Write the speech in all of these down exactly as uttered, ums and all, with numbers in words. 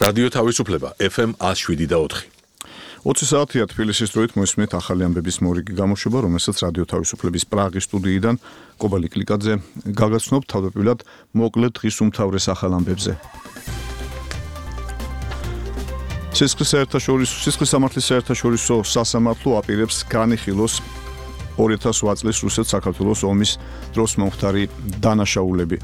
რადიო თავისუფლება ეფ ემ one oh seven და four. ოცი საათია თბილისის დროით მოისმენთ ახალი ამბების მორიგი გამოშვება, რომელსაც რადიო თავისუფლების პრაღის სტუდიიდან კობალი კლიკაძე გაგაცნობთ თავდაპირველად მოკლედ დღის უმთავრეს ახალ ამბებზე. სისხლის საერთაშორისო სისხლის სამართლის საერთაშორისო სასამართლო აპირებს განიხილოს ორი ათას ოთხ წლის რუსეთ-საქართველოს ომის დროს მომხდარი დანაშაულები.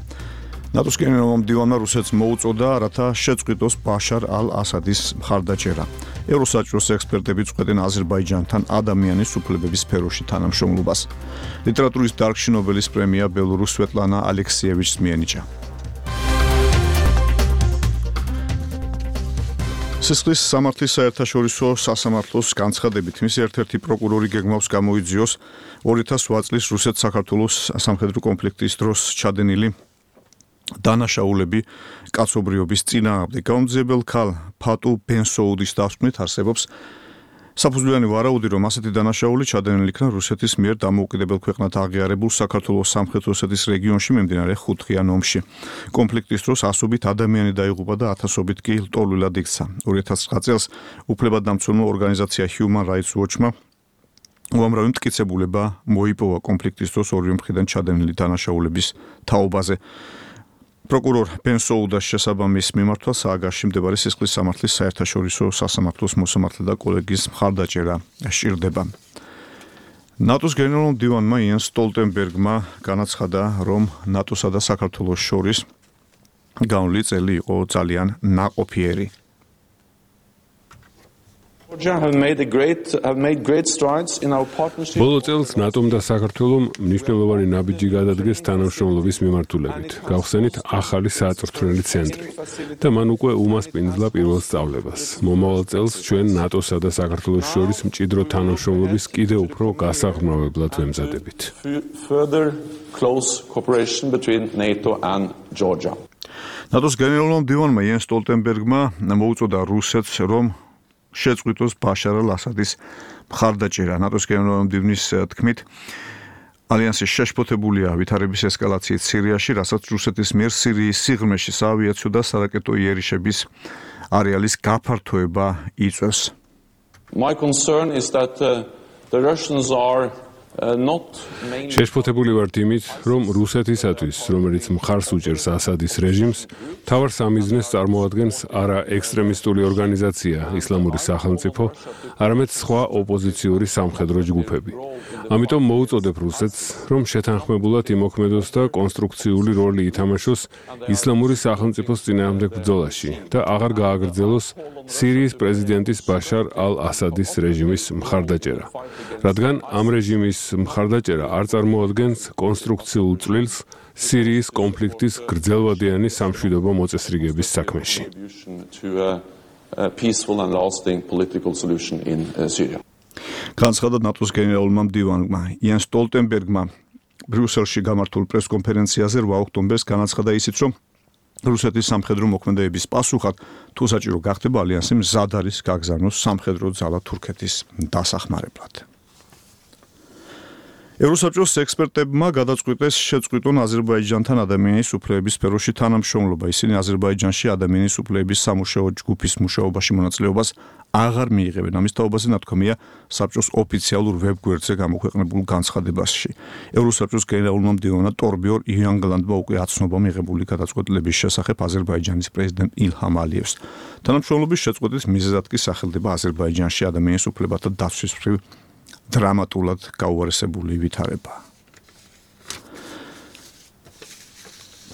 ნატოს გენერალურმა მდივანმა რუსეთს მოუწოდა, რათა შეწყვიტოს ბაშარ ალ-ასადის მხარდაჭერა. ევროსაჭიროს ექსპერტები წყვეტენ აზერბაიჯანთან ადამიანის უფლებების სფეროში თანამშრომლობას. ლიტერატურის დარგში ნობელის პრემია ბელორუს სვეტლანა ალექსიევიჩს მიენიჭა. სისხლის სამართლის საერთაშორისო სასამართლოს განცხადებით, მისი ერთ-ერთი პროკურორი გეგმავს გამოიძიოს ორი ათას ოთხ წლის რუსეთ-საქართველოს სამხედრო კონფლიქტის დროს ჩადენილი დანაშაულები კაცობრიობის წინააღმდეგ. გამომძიებელ ქალ ფატუ ბენსოუდის დასკვნით არსებობს საფუძვლიანი ვარაუდი, რომ ასეთი დანაშაული ჩადენილი იქნა რუსეთის მიერ დამოუკიდებელ ქვეყნად აღიარებულ საქართველოს სამხრეთ ოსეთის რეგიონში მიმდინარე ხუთღიან ომში. კონფლიქტის დროს ასობით ადამიანი დაიღუპა და ათასობით კი ლტოლვილად იქცა. ორი ათას ცხრა წელს უფლებადამცველმა ორგანიზაცია Human Rights Watch-მა უამრავი მტკიცებულება მოიპოვა კონფლიქტის დროს ორივე მხრიდან ჩადენილი დანაშაულების თაობაზე. პროკურორ ბენსოუდას შესაბამის მიმართვა სააგარში მდებარე სისხლის სამართლის საერთაშორისო სასამართლოს მოსამართლე და კოლეგიის მხარდაჭერა სჭირდება. ნატოს გენერალურმა მდივანმა იენს სტოლტენბერგმა განაცხადა, რომ ნატოსა და საქართველოს შორის გავლილი წელი იყო ძალიან ნაყოფიერი. ბოლო წელს ნატომ და საქართველომ მნიშვნელოვანი ნაბიჯი გადადგეს თანამშრომლობის მიმართულებით. გავხსენით ახალი საწვრთნელი ცენტრი და მან უკვე უმასპინძლა პირველ სწავლებას. მომავალ წელს ჩვენ ნატოსა და საქართველოს შორის მჭიდრო თანამშრომლობის კიდევ უფრო გასაღრმავებლად ვემზადებით. ნატოს გენერალურმა მდივანმა იენს სტოლტენბერგმა მოუწოდა რუსეთს, რომ შეწყვიტოს ბაშარ ალ-ასადის მხარდაჭერა. ნატოს გენერალურმა მდივნის თქმით, ალიანსი შეშფოთებულია ვითარების ესკალაციით სირიაში, რასაც რუსეთის მიერ სირიის სიღრმეში საავიაციო და სარაკეტო იერიშების არეალის გაფართოება იწვევს. My concern is that uh, the Russians are შეშფოთებული ვართ იმით, რომ რუსეთისათვის, რომელიც მხარს უჭერს ასადის რეჟიმს, მთავარ სამიზნეს წარმოადგენს არა ექსტრემისტული ორგანიზაცია ისლამური სახელმწიფო, არამედ სხვა ოპოზიციური სამხედრო ჯგუფები. ამიტომ მოუწოდებ რუსეთს, რომ შეთანხმებულად იმოქმედოს და კონსტრუქციული როლი ითამაშოს ისლამური სახელმწიფოს წინააღმდეგ ბრძოლაში და აღარ გააგრძელოს სირიის პრეზიდენტის ბაშარ ალ-ასადის რეჟიმის მხარდაჭერა, რადგან ამ რეჟიმის მხარდაჭერა არ წარმოადგენს კონსტრუქციულ წვლილს სირიის კონფლიქტის გრძელვადიანი სამშვიდობო მოწესრიგების საქმეში. განცხადა ნატოს გენერალურმა მდივანმა იენს სტოლტენბერგმა ბრიუსელში გამართულ პრესკონფერენციაზე რვა ოქტომბერს განაცხადა ისიც, რომ რუსეთის სამხედრო მოქმედებების პასუხად თუ საჭირო გახდება ალიანსი მზად არის გაგზავნოს სამხედრო ძალა თურქეთის დასახმარებლად. ევროსაჭიროს ექსპერტებმა გადაწყვიტეს შეწყვიტონ აზერბაიჯანთან ადამიანის უფლებების სფეროში თანამშრომლობა. ისინი აზერბაიჯანში ადამიანის უფლებების სამუშაო ჯგუფის მუშაობაში მონაწილეობას აღარ მიიღებენ. ამის თაობაზე ნათქვამია საბჭოს ოფიციალურ ვებგვერდზე გამოქვეყნებულ განცხადებაში. ევროსაჭიროს გენერალურმა მდივანმა ტორბიორ იანგლანდმა უკვე აცნობა მიღებული გადაწყვეტილების შესახებ აზერბაიჯანის პრეზიდენტ ილჰამ ალიევს. თანამშრომლობის შეწყვეტის მიზეზად კი სახელდება აზერბაიჯანში ადამიანის უფლებათა დაცვის მხრივ დრამატულად გაუარესებული ვითარება.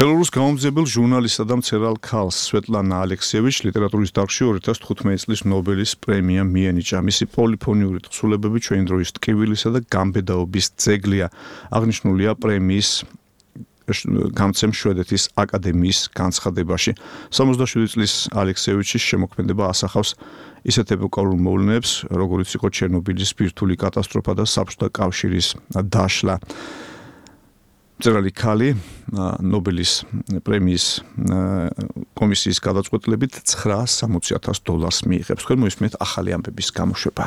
ბელორუს გამომძიებელ ჟურნალისტსა და მცერალ ქალს სვეტლანა ალექსიევიჩს ლიტერატურის დარგში ორი ათას თხუთმეტი წლის ნობელის პრემია მიენიჭა. მისი პოლიფონიური თხზულებები ჩვენი დროის ტკივილისა და გამბედაობის ძეგლია. აღნიშნულია პრემიის გამცემ შვედეთის აკადემიის განცხადებაში. სამოცდაშვიდი წლის ალექსიევიჩის შემოქმედება ასახავს ისეთ ეპოქალურ მოვლენებს, როგორიც იყო ჩერნობილის ბირთვული კატასტროფა და საბჭოთა კავშირის დაშლა. მწერალი ქალი ნობელის პრემიის კომისიის გადაწყვეტილებით ცხრაასი ათას დოლარს მიიღებს. თქვენ მოისმენთ ახალი ამბების გამოშვება.